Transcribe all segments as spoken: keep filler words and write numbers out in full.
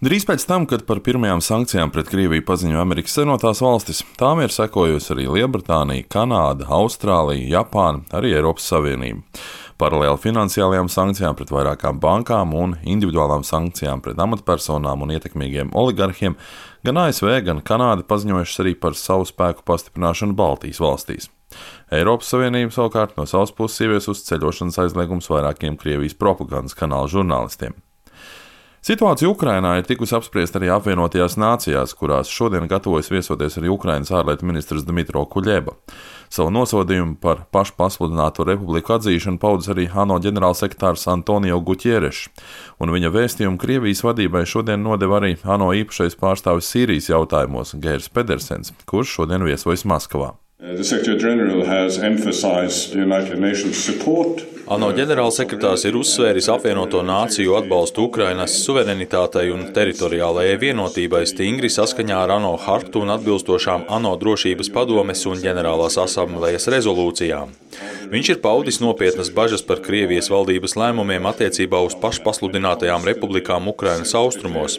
Drīz pēc tam, kad par pirmajām sankcijām pret Krieviju paziņoja Amerikas Savienotās valstis, tām ir sekojusi arī Lielbritānija, Kanāda, Austrālija, Japāna, arī Eiropas Savienība. Paralēli finansiālajām sankcijām pret vairākām bankām un individuālām sankcijām pret amatpersonām un ietekmīgiem oligarhiem, gan A S V, gan Kanāda paziņojušas arī par savu spēku pastiprināšanu Baltijas valstīs. Eiropas Savienība savukārt no savas puses ievies uz ceļošanas aizliegums vairākiem Krievijas propagandas kanāla žurnālistiem. Situācija Ukrainā ir tikusi apspriesta arī apvienotajās nācijās, kurās šodien gatavojas viesoties arī Ukrainas ārlietu ministrs Dmitro Kuļeba. Savu nosodījumu par pašpasludināto republiku atzīšanu paudis arī ANO ģenerālsekretārs Antonio Guterres, un viņa vēstījumu Krievijas vadībai šodien nodeva arī ANO īpašais pārstāvis Sīrijas jautājumos Geirs Pedersens, kurš šodien viesojas Maskavā. ANO ģenerālsekretārs ir uzsvēris apvienoto nāciju atbalstu Ukrainas suverenitātei un teritoriālajai vienotībai stingri saskaņā ar ANO hartu un atbilstošām ANO drošības padomes un ģenerālās asamblejas rezolūcijām. Viņš ir paudis nopietnas bažas par Krievijas valdības lēmumiem attiecībā uz pašpasludinātajām republikām Ukrainas austrumos.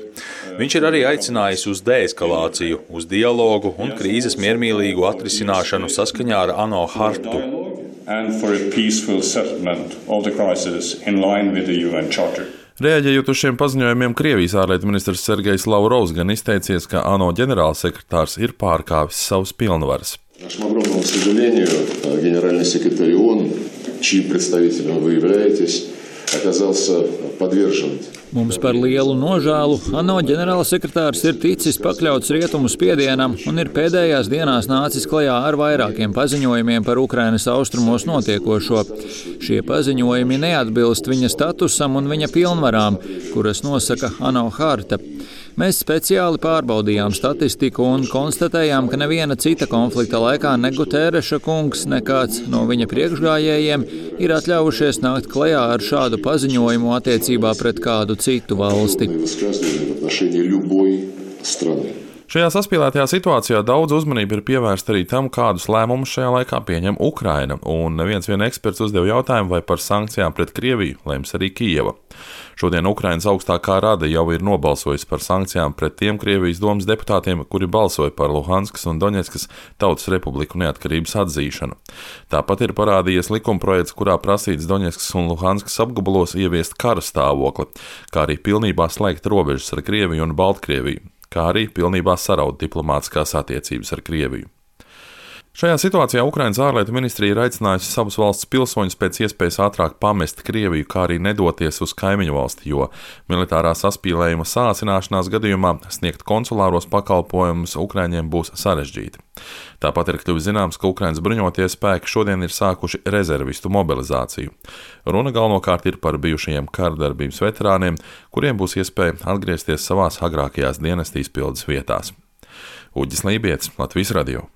Viņš ir arī aicinājis uz deeskalāciju, uz dialogu un krīzes miermīlīgu atrisināšanu saskaņā ar ANO hartu. Reaģējot uz šiem paziņojumiem, Krievijas ārlietu ministrs Sergejs Lavrovs gan izteicies, ka ANO ģenerālsekretārs ir pārkāpis savus pilnvaras. Mums par lielu nožēlu ANO ģenerālsekretārs ir ticis pakļauts rietumu spiedienam un ir pēdējās dienās nācis klajā ar vairākiem paziņojumiem par Ukrainas austrumos notiekošo. Šie paziņojumi neatbilst viņa statusam un viņa pilnvarām, kuras nosaka ANO harta. Mēs speciāli pārbaudījām statistiku un konstatējām, ka neviena cita konflikta laikā ne Gutereša kungs, ne kāds no viņa priekšgājējiem ir atļaujušies nākt klajā ar šādu paziņojumu attiecībā pret kādu citu valsti. Šajā saspīlētajā situācijā daudz uzmanība ir pievērsta arī tam, kādus lēmumus šajā laikā pieņem Ukraina, un neviens vien eksperts uzdeva jautājumu, vai par sankcijām pret Krieviju lems arī Kijeva. Šodien Ukrainas augstākā rada jau ir nobalsojusi par sankcijām pret tiem Krievijas domas deputātiem, kuri balsoja par Luhanskas un Doņetskas Tautas Republiku neatkarības atzīšanu. Tāpat ir parādījies likumprojekts, kurā prasīts Doņetskas un Luhanskas apgabalos ieviest kara stāvokli, kā arī pilnībā slēgt robežas ar Krieviju un Baltkrieviju, kā arī pilnībā saraut diplomātiskās attiecības ar Krieviju. Šajā situācijā Ukrainas ārlietu ministrija ir aicinājusi savus valsts pilsoņus pēc iespējas ātrāk pamest Krieviju, kā arī nedoties uz kaimiņu valsti, jo militārā saspīlējuma sāsināšanās gadījumā sniegt konsulāros pakalpojumus Ukraiņiem būs sarežģīti. Tāpat ir kļuvis zināms, ka Ukrainas bruņotie spēki šodien ir sākuši rezervistu mobilizāciju. Runa galvenokārt ir par bijušajiem karadarbības veterāniem, kuriem būs iespēja atgriezties savās agrākajās dienesta izpildes vietās. Uģis Lībietis, Latvijas radio.